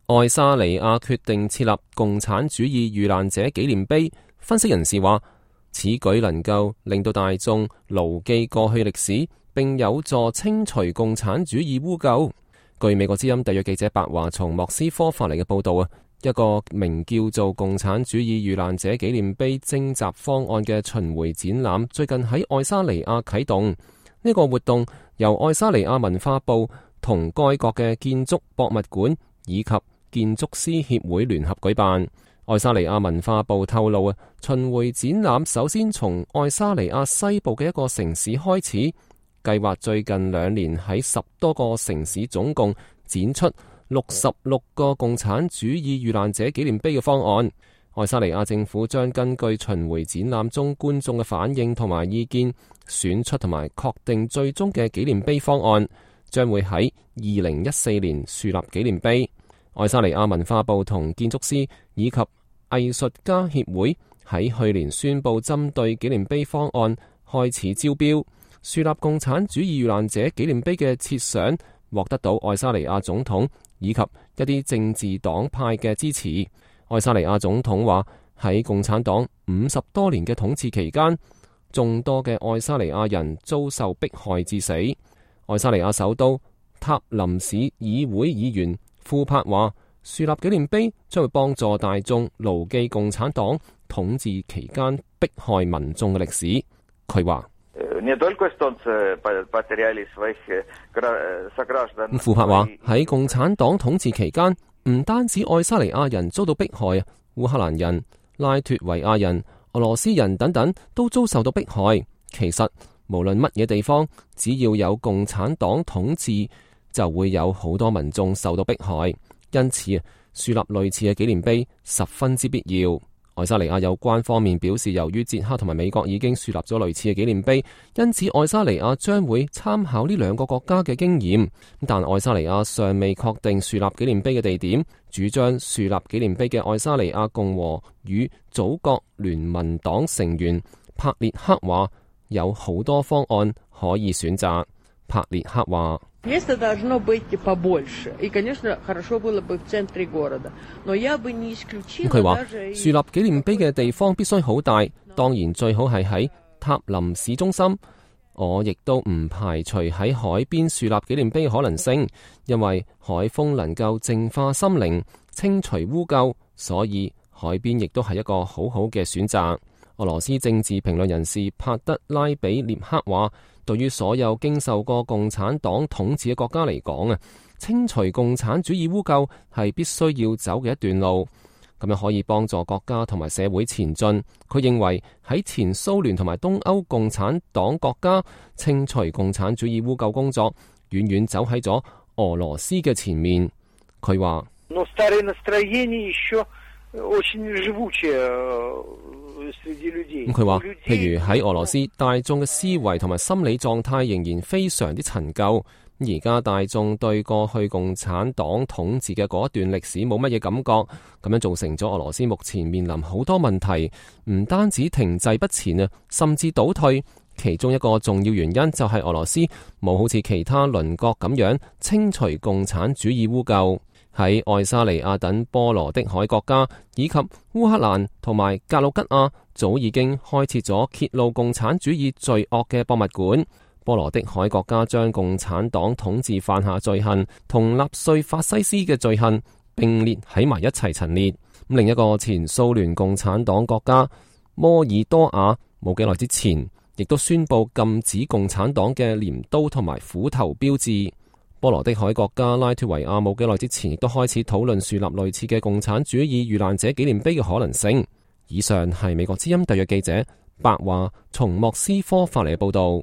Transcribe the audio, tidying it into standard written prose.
愛沙尼亞決定設立共產主義遇難者紀念碑，分析人士話，此舉能夠令到大眾牢記過去歷史，並有助清除共產主義污垢。據美國之音特約記者白華從莫斯科發嚟嘅報道，一個名叫做共產主義遇難者紀念碑徵集方案嘅巡迴展覽最近喺愛沙尼亞啟動。呢個活動由愛沙尼亞文化部同該國嘅建築博物館以及建築師協會聯合舉辦。愛沙尼亞文化部透露，巡迴展覽首先從愛沙尼亞西部嘅一個城市開始，計劃最近2年喺10多個城市總共展出66個共產主義遇難者紀念碑嘅方案。愛沙尼亞政府將根據巡迴展覽中觀眾嘅反應同埋意見，選出同埋確定最終嘅紀念碑方案，將會喺2014年樹立紀念碑。愛沙尼亞文化部同建築師以及藝術家協會喺去年宣布針對紀念碑方案開始招標。樹立共產主義遇難者紀念碑嘅設想獲得到愛沙尼亞總統以及一啲政治黨派嘅支持。愛沙尼亞總統話，喺共產黨50多年嘅統治期間，眾多嘅愛沙尼亞人遭受迫害致死。愛沙尼亞首都塔林市議會議員庫柏話，樹立紀念碑將會幫助大眾牢記共產黨統治期間迫害民眾嘅歷史。佢話，庫柏話，喺共產黨統治期間，唔單止愛沙尼亞人遭到迫害，烏克蘭人、拉脫維亞人、俄羅斯人等等都遭受到迫害。其實無論乜嘢地方，只要有共產黨統治，就會有好多民眾受到迫害。因此，樹立類似嘅紀念碑十分之必要。愛沙尼亞有關方面表示，由於捷克同埋美國已經樹立咗類似嘅紀念碑，因此愛沙尼亞將會參考呢兩個國家嘅經驗。但愛沙尼亞尚未確定樹立紀念碑嘅地點。主張樹立紀念碑嘅愛沙尼亞共和與祖國聯盟黨成員帕列克話，有好多方案可以選擇。帕列克話，佢話樹立紀念碑嘅地方必須好大，當然最好係喺塔林市中心。我亦都唔排除喺海邊樹立紀念碑嘅可能性，因為海風能夠淨化心靈、清除污垢，所以海邊亦都係一個好好嘅選擇。俄羅斯政治評論人士帕德拉比列克話，對於所有經受過共產黨統治嘅國家嚟講清除共產主義污垢係必須要走嘅一段路，咁樣可以幫助國家同埋社會前進。佢認為喺前蘇聯同埋東歐共產黨國家，清除共產主義污垢工作遠遠走喺咗俄羅斯嘅前面。佢話，佢話，譬如喺俄羅斯，大眾嘅思維同埋心理狀態仍然非常之陳舊。而家大眾對過去共產黨統治嘅嗰一段歷史冇乜嘢感覺，咁樣造成咗俄羅斯目前面臨好多問題，唔單止停滯不前甚至倒退。其中一個重要原因就係俄羅斯冇好似其他鄰國咁樣清除共產主義污垢。喺愛沙尼亞等波羅的海國家以及烏克蘭同埋格魯吉亞，早已經開設咗揭露共產主義罪惡嘅博物館。波羅的海國家將共產黨統治犯下罪行同納粹法西斯嘅罪行並列喺埋一齊陳列。另一個前蘇聯共產黨國家摩爾多瓦冇幾耐之前，亦都宣布禁止共產黨嘅鐮刀同埋斧頭標誌。波羅的海國家拉脫維亞冇幾耐之前，亦都開始討論樹立類似嘅共產主義遇難者紀念碑嘅可能性。以上係美國之音特約記者白華從莫斯科發嚟嘅報道。